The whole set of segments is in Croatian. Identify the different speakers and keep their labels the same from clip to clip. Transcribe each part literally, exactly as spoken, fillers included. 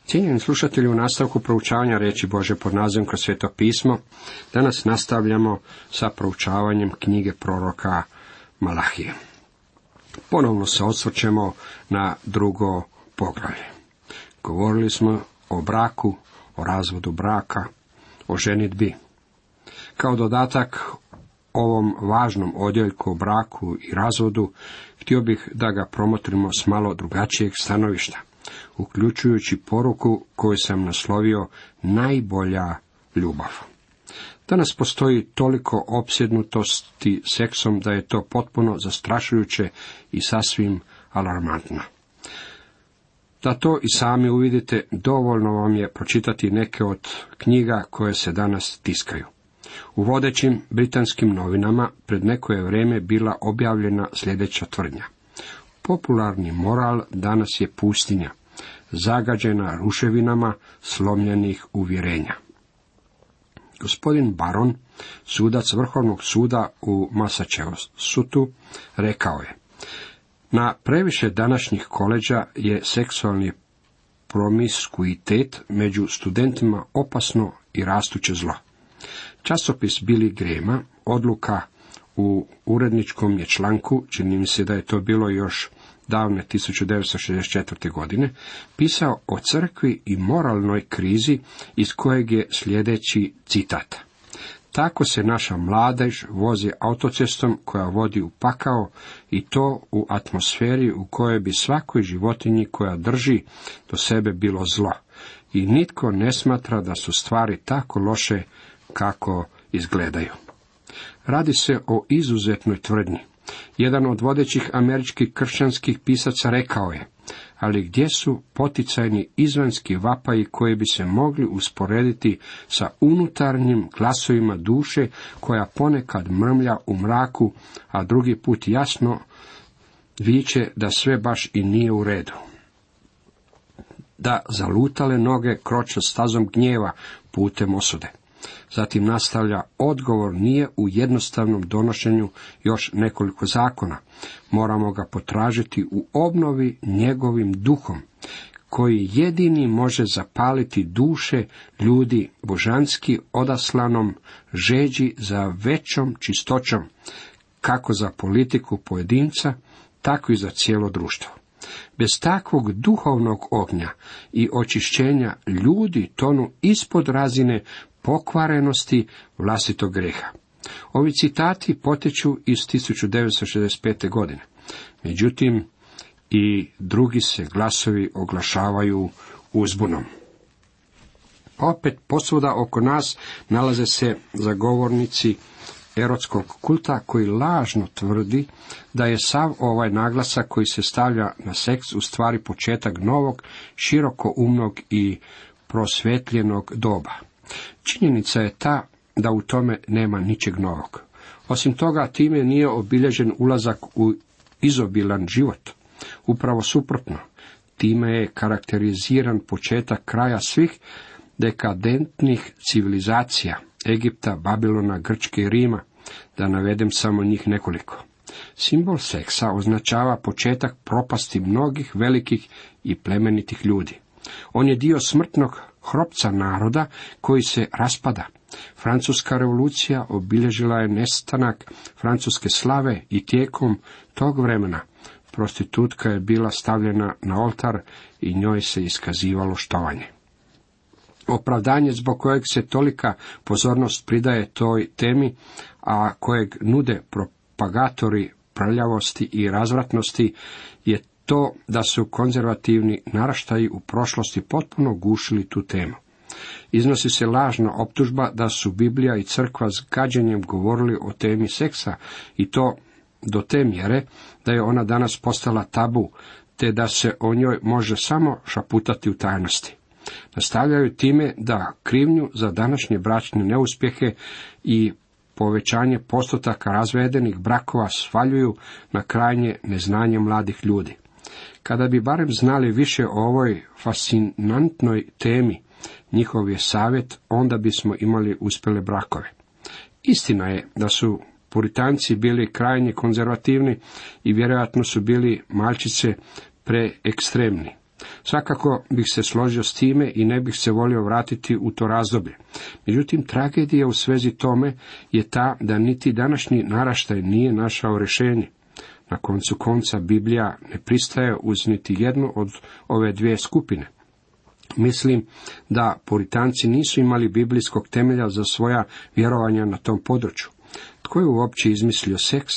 Speaker 1: Cijenjeni slušatelji, u nastavku proučavanja riječi Božje pod nazivom Kroz Sveto pismo, danas nastavljamo sa proučavanjem knjige proroka Malahije. Ponovno se osvrćemo na drugo poglavlje. Govorili smo o braku, o razvodu braka, o ženidbi. Kao dodatak ovom važnom odjeljku o braku i razvodu, htio bih da ga promotrimo s malo drugačijeg stanovišta, uključujući poruku koju sam naslovio najbolja ljubav. Danas postoji toliko opsjednutosti seksom da je to potpuno zastrašujuće i sasvim alarmantno. Da to i sami uvidite, dovoljno vam je pročitati neke od knjiga koje se danas tiskaju. U vodećim britanskim novinama pred neko je vrijeme bila objavljena sljedeća tvrdnja. Popularni moral danas je pustinja, zagađena ruševinama slomljenih uvjerenja. Gospodin Baron, sudac Vrhovnog suda u Massachusettsu, rekao je: na previše današnjih koleđa je seksualni promiskuitet među studentima opasno i rastuće zlo. Časopis Billy Grahama, odluka u uredničkom je članku, čini mi se da je to bilo još davne tisuću devetsto šezdeset četvrte. godine, pisao o crkvi i moralnoj krizi iz kojeg je sljedeći citat. Tako se naša mladež vozi autocestom koja vodi u pakao, i to u atmosferi u kojoj bi svakoj životinji koja drži do sebe bilo zlo. I nitko ne smatra da su stvari tako loše kako izgledaju. Radi se o izuzetnoj tvrdnji. Jedan od vodećih američkih kršćanskih pisaca rekao je: ali gdje su poticajni izvanjski vapaji koji bi se mogli usporediti sa unutarnjim glasovima duše koja ponekad mrmlja u mraku, a drugi put jasno viče da sve baš i nije u redu. Da zalutale noge kroče stazom gnjeva putem osude. Zatim nastavlja: odgovor nije u jednostavnom donošenju još nekoliko zakona. Moramo ga potražiti u obnovi njegovim duhom, koji jedini može zapaliti duše ljudi božanski odaslanom žeđi za većom čistoćom, kako za politiku pojedinca, tako i za cijelo društvo. Bez takvog duhovnog ognja i očišćenja ljudi tonu ispod razine pokvarenosti vlastitog greha. Ovi citati potječu iz tisuću devetsto šezdeset pete. godine. Međutim, i drugi se glasovi oglašavaju uzbunom. Opet posvuda oko nas nalaze se zagovornici erotskog kulta koji lažno tvrdi da je sav ovaj naglasak koji se stavlja na seks u stvari početak novog, širokoumnog i prosvjetljenog doba. Činjenica je ta da u tome nema ničeg novog. Osim toga, time nije obilježen ulazak u izobilan život. Upravo suprotno, time je karakteriziran početak kraja svih dekadentnih civilizacija, Egipta, Babilona, Grčke i Rima, da navedem samo njih nekoliko. Simbol seksa označava početak propasti mnogih velikih i plemenitih ljudi. On je dio smrtnog hropca naroda koji se raspada. Francuska revolucija obilježila je nestanak francuske slave i tijekom tog vremena prostitutka je bila stavljena na oltar i njoj se iskazivalo štovanje. Opravdanje zbog kojeg se tolika pozornost pridaje toj temi, a kojeg nude propagatori prljavosti i razvratnosti, je to da su konzervativni naraštaji u prošlosti potpuno gušili tu temu. Iznosi se lažna optužba da su Biblija i crkva s gađenjem govorili o temi seksa, i to do te mjere da je ona danas postala tabu, te da se o njoj može samo šaputati u tajnosti. Nastavljaju time da krivnju za današnje bračne neuspjehe i povećanje postotaka razvedenih brakova svaljuju na krajnje neznanje mladih ljudi. Kada bi barem znali više o ovoj fascinantnoj temi, njihov je savjet, onda bismo imali uspjele brakove. Istina je da su Puritanci bili krajnje konzervativni i vjerojatno su bili malčice preekstremni. Svakako bih se složio s time i ne bih se volio vratiti u to razdoblje. Međutim, tragedija u svezi tome je ta da niti današnji naraštaj nije našao rješenje. Na koncu konca Biblija ne pristaje uz niti jednu od ove dvije skupine. Mislim da Puritanci nisu imali biblijskog temelja za svoja vjerovanja na tom području. Tko je uopće izmislio seks?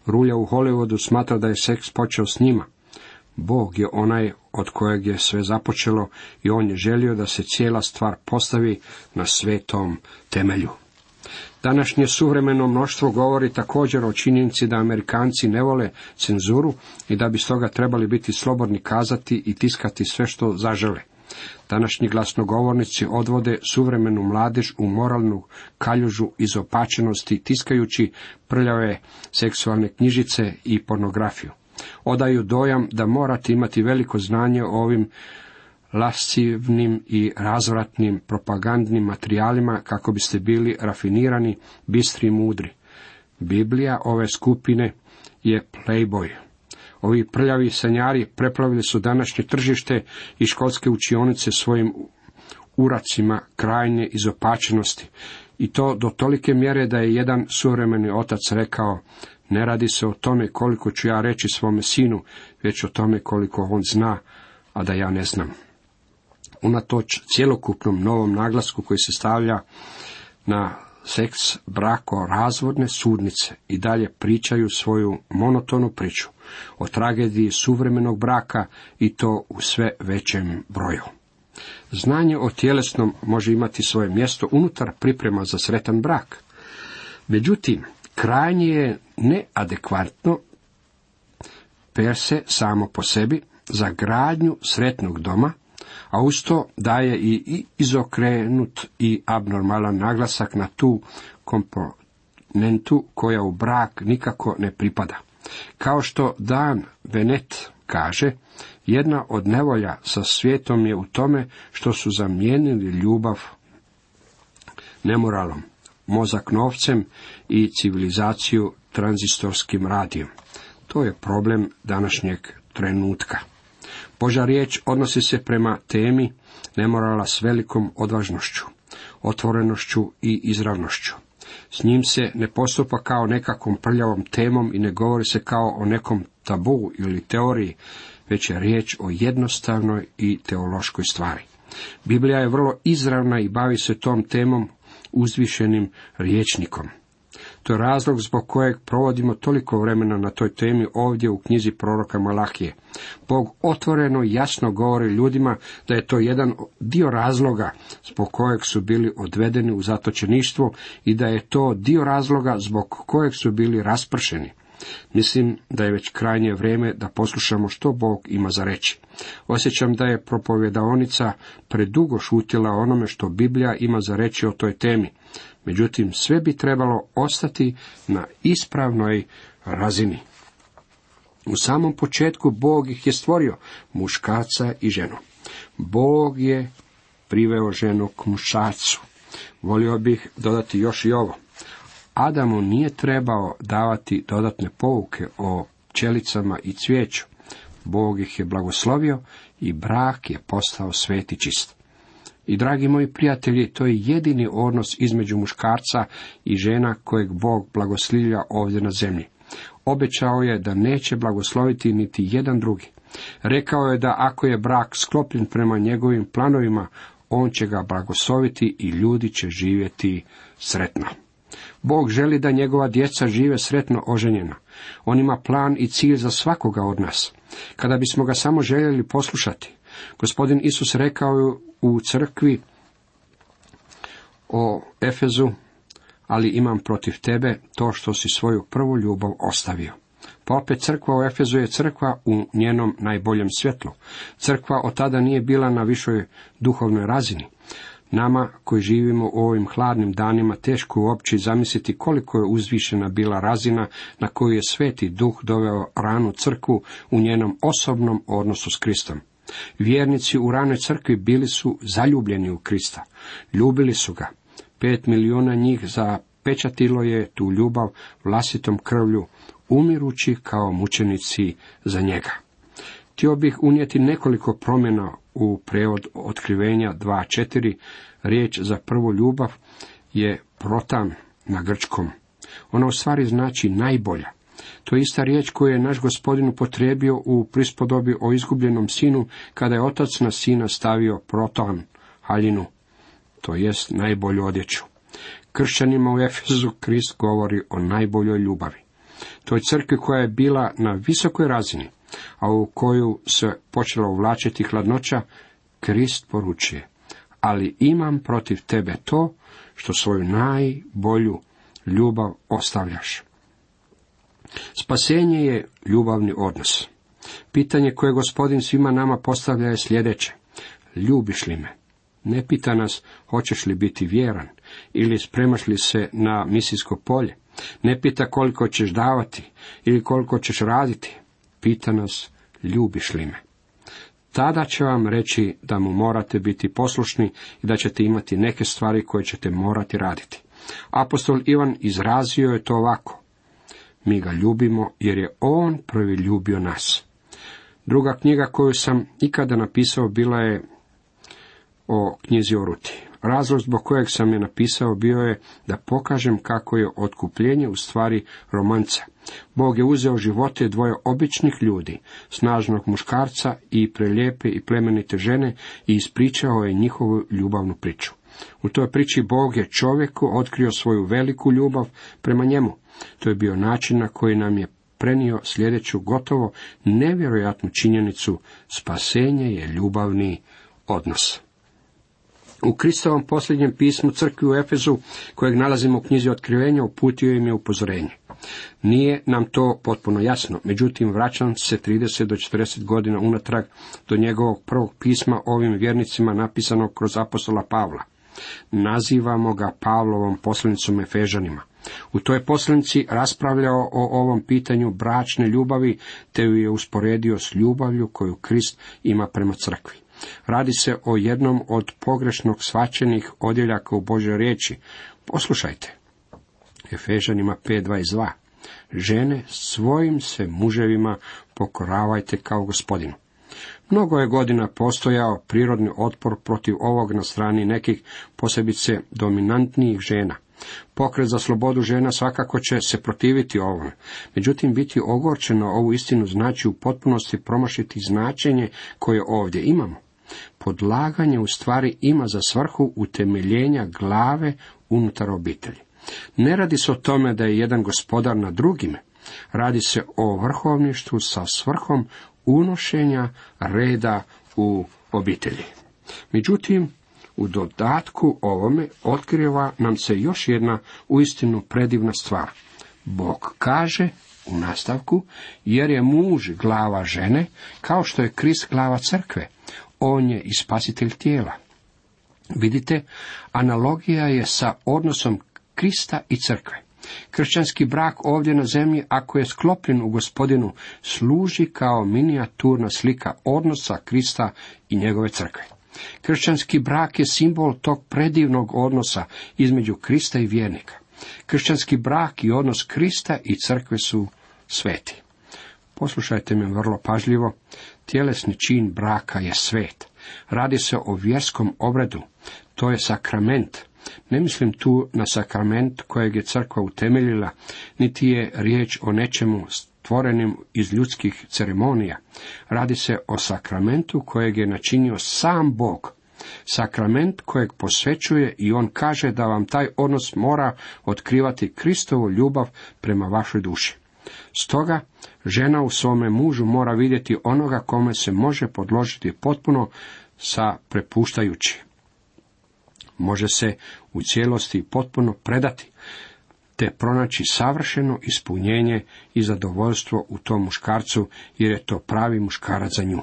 Speaker 1: Rulja u Hollywoodu smatra da je seks počeo s njima. Bog je onaj od kojeg je sve započelo i on je želio da se cijela stvar postavi na svetom temelju. Današnje suvremeno mnoštvo govori također o činjenici da Amerikanci ne vole cenzuru i da bi stoga trebali biti slobodni kazati i tiskati sve što zažele. Današnji glasnogovornici odvode suvremenu mladež u moralnu kaljužu izopačenosti tiskajući prljave seksualne knjižice i pornografiju. Odaju dojam da morate imati veliko znanje o ovim lascivnim i razvratnim propagandnim materijalima kako biste bili rafinirani, bistri i mudri. Biblija ove skupine je Playboy. Ovi prljavi sanjari preplavili su današnje tržište i školske učionice svojim uracima krajnje izopačenosti. I to do tolike mjere da je jedan suvremeni otac rekao: ne radi se o tome koliko ću ja reći svome sinu, već o tome koliko on zna, a da ja ne znam. Unatoč cjelokupnom novom naglasku koji se stavlja na seks, brako, razvodne sudnice i dalje pričaju svoju monotonu priču o tragediji suvremenog braka i to u sve većem broju. Znanje o tjelesnom može imati svoje mjesto unutar priprema za sretan brak. Međutim, krajnje je neadekvatno per se samo po sebi za gradnju sretnog doma, a uz to daje i izokrenut i abnormalan naglasak na tu komponentu koja u brak nikako ne pripada. Kao što Dan Venet kaže, jedna od nevolja sa svijetom je u tome što su zamijenili ljubav nemoralom, mozak novcem i civilizaciju tranzistorskim radijom. To je problem današnjeg trenutka. Božja riječ odnosi se prema temi nemorala s velikom odvažnošću, otvorenošću i izravnošću. S njim se ne postupa kao nekakvom prljavom temom i ne govori se kao o nekom tabu ili teoriji, već je riječ o jednostavnoj i teološkoj stvari. Biblija je vrlo izravna i bavi se tom temom uzvišenim rječnikom. To je razlog zbog kojeg provodimo toliko vremena na toj temi ovdje u knjizi proroka Malahije. Bog otvoreno i jasno govori ljudima da je to jedan dio razloga zbog kojeg su bili odvedeni u zatočeništvo i da je to dio razloga zbog kojeg su bili raspršeni. Mislim da je već krajnje vrijeme da poslušamo što Bog ima za reći. Osjećam da je propovjedaonica predugo šutila onome što Biblija ima za reći o toj temi. Međutim, sve bi trebalo ostati na ispravnoj razini. U samom početku Bog ih je stvorio, muškarca i ženu. Bog je priveo ženu k muškarcu. Volio bih dodati još i ovo. Adamu nije trebao davati dodatne pouke o pčelicama i cvijeću. Bog ih je blagoslovio i brak je postao svet i čist. I dragi moji prijatelji, to je jedini odnos između muškarca i žena kojeg Bog blagoslivlja ovdje na zemlji. Obećao je da neće blagosloviti niti jedan drugi. Rekao je da ako je brak sklopljen prema njegovim planovima, on će ga blagosloviti i ljudi će živjeti sretno. Bog želi da njegova djeca žive sretno oženjena. On ima plan i cilj za svakoga od nas. Kada bismo ga samo željeli poslušati. Gospodin Isus rekao je u crkvi o Efezu: ali imam protiv tebe to što si svoju prvu ljubav ostavio. Pa opet crkva u Efezu je crkva u njenom najboljem svjetlu. Crkva od tada nije bila na višoj duhovnoj razini. Nama koji živimo u ovim hladnim danima teško uopće zamisliti koliko je uzvišena bila razina na koju je Sveti Duh doveo ranu crkvu u njenom osobnom odnosu s Kristom. Vjernici u ranoj crkvi bili su zaljubljeni u Krista. Ljubili su ga. Pet milijuna njih zapečatilo je tu ljubav vlastitom krvlju, umirući kao mučenici za njega. Htio bih unijeti nekoliko promjena u prijevod Otkrivenja dva četiri. Riječ za prvu ljubav je protan na grčkom. Ona u stvari znači najbolja. To je ista riječ koju je naš Gospodin upotrijebio u prispodobi o izgubljenom sinu, kada je otac na sina stavio protan, haljinu, to jest najbolju odjeću. Kršćanima u Efezu Krist govori o najboljoj ljubavi. Toj crkvi koja je bila na visokoj razini, a u koju se počela uvlačiti hladnoća, Krist poručuje: ali imam protiv tebe to što svoju najbolju ljubav ostavljaš. Spasenje je ljubavni odnos. Pitanje koje Gospodin svima nama postavlja je sljedeće: ljubiš li me? Ne pita nas hoćeš li biti vjeran ili spremaš li se na misijsko polje. Ne pita koliko ćeš davati ili koliko ćeš raditi. Pita nas ljubiš li me? Tada će vam reći da mu morate biti poslušni i da ćete imati neke stvari koje ćete morati raditi. Apostol Ivan izrazio je to ovako: mi ga ljubimo jer je on prvi ljubio nas. Druga knjiga koju sam ikada napisao bila je o knjizi o Ruti. Razlog zbog kojeg sam je napisao bio je da pokažem kako je otkupljenje u stvari romanca. Bog je uzeo živote dvoje običnih ljudi, snažnog muškarca i prelijepe i plemenite žene, i ispričao je njihovu ljubavnu priču. U toj priči Bog je čovjeku otkrio svoju veliku ljubav prema njemu. To je bio način na koji nam je prenio sljedeću gotovo nevjerojatnu činjenicu: spasenje je ljubavni odnos. U Kristovom posljednjem pismu crkvi u Efezu, kojeg nalazimo u knjizi Otkrivenja, uputio im je upozorenje. Nije nam to potpuno jasno, međutim vraćam se trideset do četrdeset godina unatrag do njegovog prvog pisma ovim vjernicima napisanog kroz apostola Pavla. Nazivamo ga Pavlovom poslanicom Efežanima. U toj poslanici raspravljao o ovom pitanju bračne ljubavi, te ju je usporedio s ljubavlju koju Krist ima prema crkvi. Radi se o jednom od pogrešnog shvaćenih odjeljaka u Božjoj riječi. Poslušajte. Efežanima pet dvadeset dva. Žene, svojim se muževima pokoravajte kao Gospodinu. Mnogo je godina postojao prirodni otpor protiv ovog na strani nekih, posebice dominantnijih žena. Pokret za slobodu žena svakako će se protiviti ovome. Međutim, biti ogorčen na ovu istinu znači u potpunosti promašiti značenje koje ovdje imamo. Podlaganje u stvari ima za svrhu utemeljenja glave unutar obitelji. Ne radi se o tome da je jedan gospodar nad drugime. Radi se o vrhovništvu sa svrhom unošenja reda u obitelji. Međutim, u dodatku ovome otkriva nam se još jedna uistinu predivna stvar. Bog kaže u nastavku: jer je muž glava žene, kao što je Krist glava crkve. On je i spasitelj tijela. Vidite, analogija je sa odnosom Krista i crkve. Kršćanski brak ovdje na zemlji, ako je sklopljen u Gospodinu, služi kao minijaturna slika odnosa Krista i njegove crkve. Kršćanski brak je simbol tog predivnog odnosa između Krista i vjernika. Kršćanski brak i odnos Krista i crkve su sveti. Poslušajte me vrlo pažljivo. Tjelesni čin braka je svet. Radi se o vjerskom obredu. To je sakrament. Ne mislim tu na sakrament kojeg je crkva utemeljila, niti je riječ o nečemu stvorenim iz ljudskih ceremonija. Radi se o sakramentu kojeg je načinio sam Bog. Sakrament kojeg posvećuje i on kaže da vam taj odnos mora otkrivati Kristovu ljubav prema vašoj duši. Stoga, žena u svome mužu mora vidjeti onoga kome se može podložiti potpuno sa prepuštajući. Može se u cijelosti potpuno predati, te pronaći savršeno ispunjenje i zadovoljstvo u tom muškarcu, jer je to pravi muškarac za nju.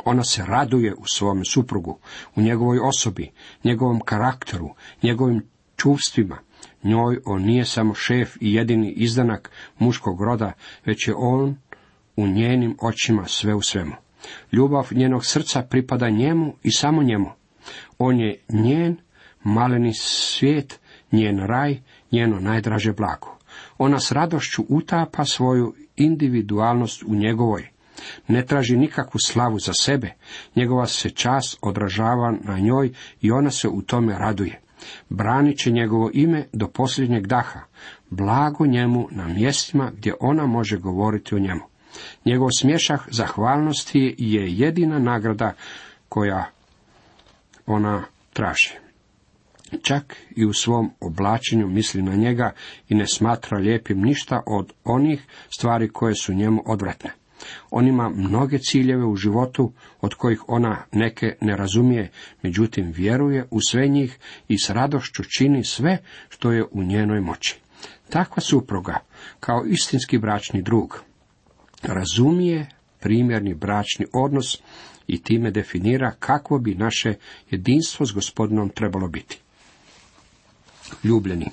Speaker 1: Ona se raduje u svome suprugu, u njegovoj osobi, njegovom karakteru, njegovim čuvstvima. Njoj on nije samo šef i jedini izdanak muškog roda, već je on u njenim očima sve u svemu. Ljubav njenog srca pripada njemu i samo njemu. On je njen maleni svijet, njen raj, njeno najdraže blago. Ona s radošću utapa svoju individualnost u njegovoj. Ne traži nikakvu slavu za sebe, njegova se čast odražava na njoj i ona se u tome raduje. Branit će njegovo ime do posljednjeg daha, blago njemu na mjestima gdje ona može govoriti o njemu. Njegov smješah zahvalnosti je jedina nagrada koja ona traži. Čak i u svom oblačenju misli na njega i ne smatra lijepim ništa od onih stvari koje su njemu odvratne. On ima mnoge ciljeve u životu od kojih ona neke ne razumije, međutim vjeruje u sve njih i s radošću čini sve što je u njenoj moći. Takva supruga, kao istinski bračni drug, razumije primjerni bračni odnos i time definira kakvo bi naše jedinstvo s Gospodinom trebalo biti. Ljubljeni,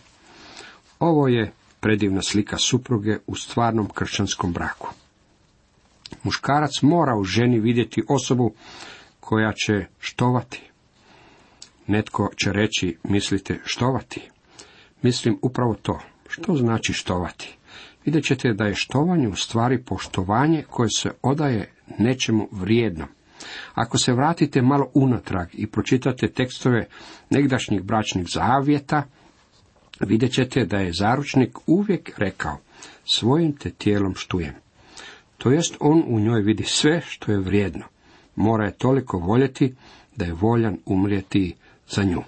Speaker 1: ovo je predivna slika supruge u stvarnom kršćanskom braku. Muškarac mora u ženi vidjeti osobu koja će štovati. Netko će reći, mislite štovati? Mislim upravo to. Što znači štovati? Vidjet ćete da je štovanje u stvari poštovanje koje se odaje nečemu vrijednom. Ako se vratite malo unatrag i pročitate tekstove negdašnjih bračnih zavjeta, vidjet ćete da je zaručnik uvijek rekao, svojim te tijelom štujem. To jest on u njoj vidi sve što je vrijedno. Mora je toliko voljeti da je voljan umrijeti za nju.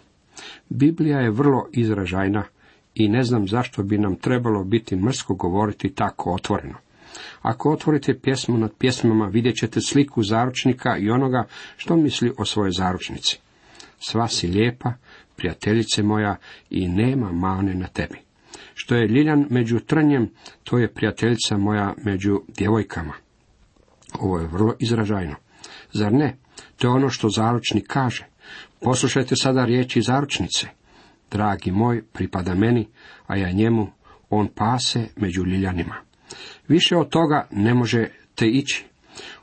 Speaker 1: Biblija je vrlo izražajna i ne znam zašto bi nam trebalo biti mrsko govoriti tako otvoreno. Ako otvorite pjesmu nad pjesmama, vidjet ćete sliku zaručnika i onoga što misli o svojoj zaručnici. Sva si lijepa, prijateljice moja, i nema mane na tebi. Što je ljiljan među trnjem, to je prijateljica moja među djevojkama. Ovo je vrlo izražajno. Zar ne? To je ono što zaručnik kaže. Poslušajte sada riječi zaručnice. Dragi moj pripada meni, a ja njemu, on pase među ljiljanima. Više od toga ne možete ići.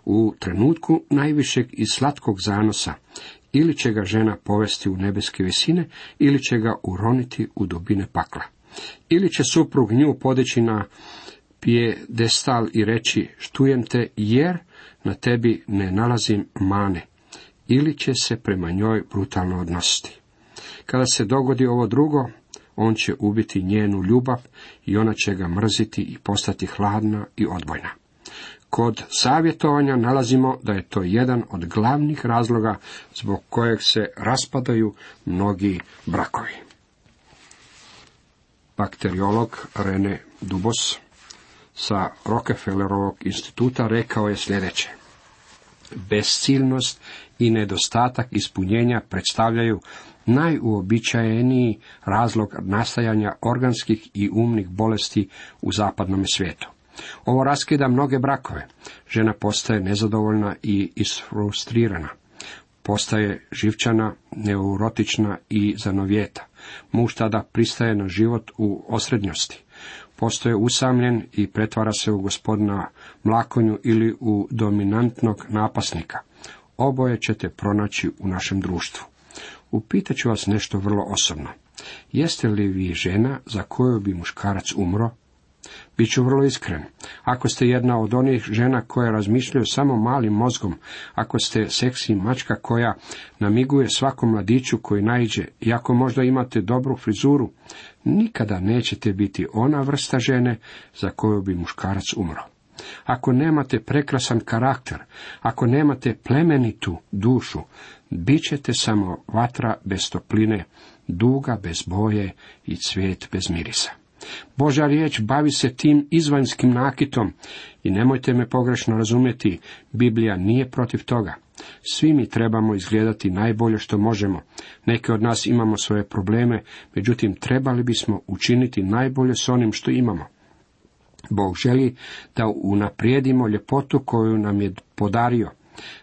Speaker 1: U trenutku najvišeg i slatkog zanosa, ili će ga žena povesti u nebeske visine, ili će ga uroniti u dubine pakla. Ili će suprug nju podići na pijedestal i reći, štujem te jer na tebi ne nalazim mane, ili će se prema njoj brutalno odnositi. Kada se dogodi ovo drugo, on će ubiti njenu ljubav i ona će ga mrziti i postati hladna i odbojna. Kod savjetovanja nalazimo da je to jedan od glavnih razloga zbog kojeg se raspadaju mnogi brakovi. Bakteriolog Rene Dubos sa Rockefellerovog instituta rekao je sljedeće: bezciljnost i nedostatak ispunjenja predstavljaju najuobičajeniji razlog nastajanja organskih i umnih bolesti u zapadnom svijetu. Ovo raskida mnoge brakove. Žena postaje nezadovoljna i isfrustrirana. Postaje živčana, neurotična i zanovjeta. Muž tada pristaje na život u osrednjosti. Postaje usamljen i pretvara se u gospodina mlakonju ili u dominantnog napasnika. Oboje ćete pronaći u našem društvu. Upitat ću vas nešto vrlo osobno. Jeste li vi žena za koju bi muškarac umro? Biću vrlo iskren. Ako ste jedna od onih žena koje razmišljaju samo malim mozgom, ako ste seksi mačka koja namiguje svakom mladiću koji naiđe, i ako možda imate dobru frizuru, nikada nećete biti ona vrsta žene za koju bi muškarac umro. Ako nemate prekrasan karakter, ako nemate plemenitu dušu, bit ćete samo vatra bez topline, duga bez boje i cvijet bez mirisa. Božja riječ bavi se tim izvanjskim nakitom i nemojte me pogrešno razumjeti, Biblija nije protiv toga. Svi mi trebamo izgledati najbolje što možemo. Neki od nas imamo svoje probleme, međutim trebali bismo učiniti najbolje s onim što imamo. Bog želi da unaprijedimo ljepotu koju nam je podario.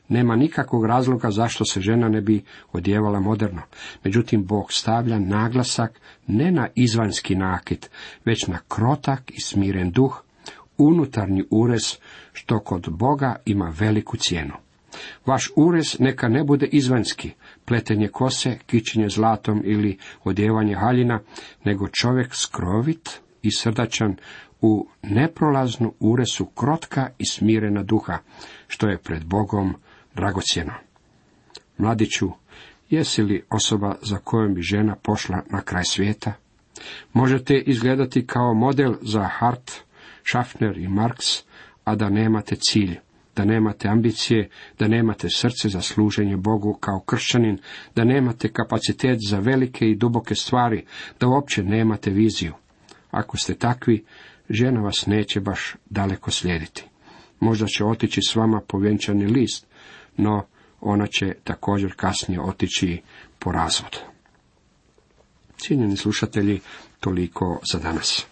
Speaker 1: Nema nikakvog razloga zašto se žena ne bi odjevala moderno. Međutim, Bog stavlja naglasak ne na izvanjski nakit, već na krotak i smiren duh, unutarnji urez, što kod Boga ima veliku cijenu. Vaš urez neka ne bude izvanjski, pletenje kose, kićenje zlatom ili odjevanje haljina, nego čovjek skrovit i srdačan, u neprolaznu uresu krotka i smirena duha, što je pred Bogom dragocjeno. Mladiću, jesi li osoba za kojom bi žena pošla na kraj svijeta? Možete izgledati kao model za Hart, Schaffner i Marx, a da nemate cilj, da nemate ambicije, da nemate srce za služenje Bogu kao kršćanin, da nemate kapacitet za velike i duboke stvari, da uopće nemate viziju. Ako ste takvi, žena vas neće baš daleko slijediti. Možda će otići s vama po vjenčani list, no ona će također kasnije otići po razvod. Cijenjeni slušatelji, toliko za danas.